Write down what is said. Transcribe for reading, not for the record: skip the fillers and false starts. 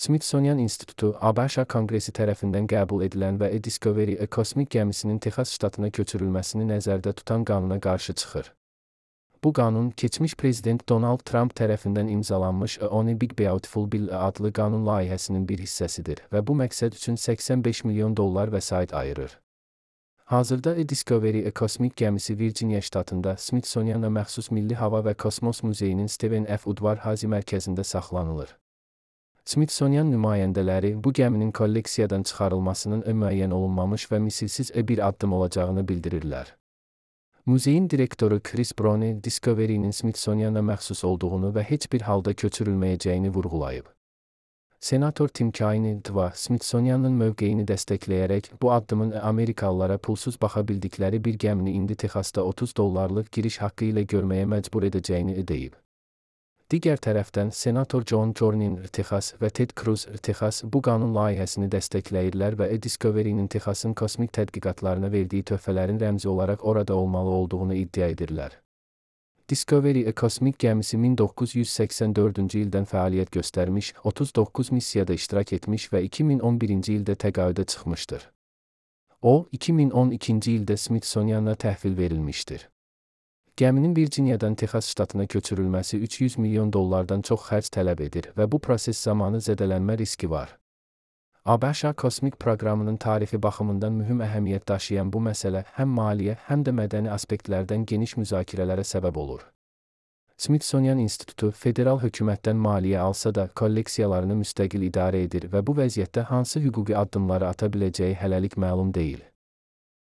Smithsonian İnstitutu, ABŞ Konqresi tərəfindən qəbul edilən və Discovery kosmik gəmisinin Texas ştatına köçürülməsini nəzərdə tutan qanuna qarşı çıxır. Bu qanun, keçmiş prezident Donald Trump tərəfindən imzalanmış One Big Beautiful Bill adlı qanun layihəsinin bir hissəsidir və bu məqsəd üçün $85 milyon vəsait ayırır. Hazırda Discovery kosmik gəmisi Virginia ştatında Smithsoniana məxsus Milli Hava və Kosmos Muzeyinin Stephen F. Udvar-Hazy mərkəzində saxlanılır. Smithsonian nümayəndələri bu gəminin kolleksiyadan çıxarılmasının müəyyən olunmamış və misilsiz bir addım olacağını bildirirlər. Muzeyin direktoru Chris Browne, Discovery'nin Smithsonian'a məxsus olduğunu və heç bir halda köçürülməyəcəyini vurğulayıb. Senator Tim Kaine, Smithsonian'ın mövqeyini dəstəkləyərək bu addımın Amerikalılara pulsuz baxa bildikləri bir gəmini indi Texasda $30 giriş haqqı ilə görməyə məcbur edəcəyini deyib. Digər tərəfdən, Senator John Cornyn, Texas və Ted Cruz, Texas bu qanun layihəsini dəstəkləyirlər və Discovery'nin Texasın kosmik tədqiqatlarına verdiyi töhfələrin rəmzi olaraq orada olmalı olduğunu iddia edirlər. Discovery kosmik gəmisi 1984-cü ildən fəaliyyət göstərmiş, 39 missiyada iştirak etmiş və 2011-ci ildə təqaüdə çıxmışdır. O, 2012-ci ildə Smithsonian'a təhvil verilmişdir. Gəminin Virginia'dan Texas ştatına köçürülməsi $300 milyon çox xərc tələb edir və bu proses zamanı zədələnmə riski var. ABŞ kosmik proqramının tarixi baxımından mühüm əhəmiyyət daşıyan bu məsələ həm maliyyə, həm də mədəni aspektlərdən geniş müzakirələrə səbəb olur. Smithsonian İnstitutu federal hökumətdən maliyyə alsa da kolleksiyalarını müstəqil idarə edir və bu vəziyyətdə hansı hüquqi addımları ata biləcəyi hələlik məlum deyil.